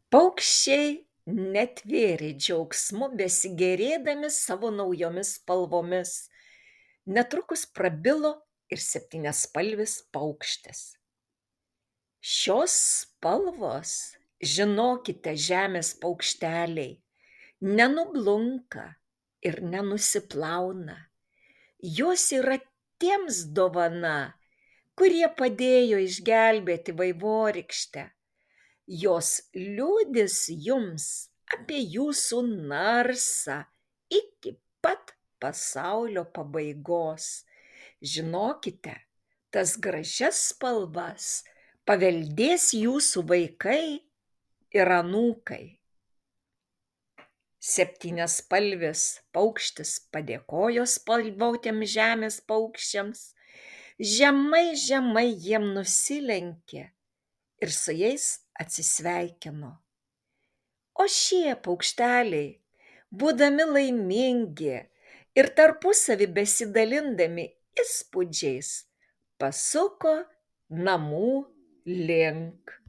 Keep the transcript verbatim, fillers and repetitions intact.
Paukščiai netvėrė džiaugsmu besigėrėdami savo naujomis spalvomis. Netrukus prabilo ir septyniaspalvis paukštis. Šios spalvos, žinokite, žemės paukšteliai, nenublunka ir nenusiplauna. Jos yra tiems dovana, kurie padėjo išgelbėti vaivorykštę. Jos liudys jums apie jūsų narsą iki pat pasaulio pabaigos. Žinokite, tas gražias spalvas paveldės jūsų vaikai ir anūkai. Septyniaspalvis paukštis padėkojo spalvotiems žemės paukščiams, žemai žemai jiem nusilenkė ir su jais atsisveikino. O šie paukšteliai, būdami laimingi ir tarpusavy besidalindami įspūdžiais, pasuko namų link.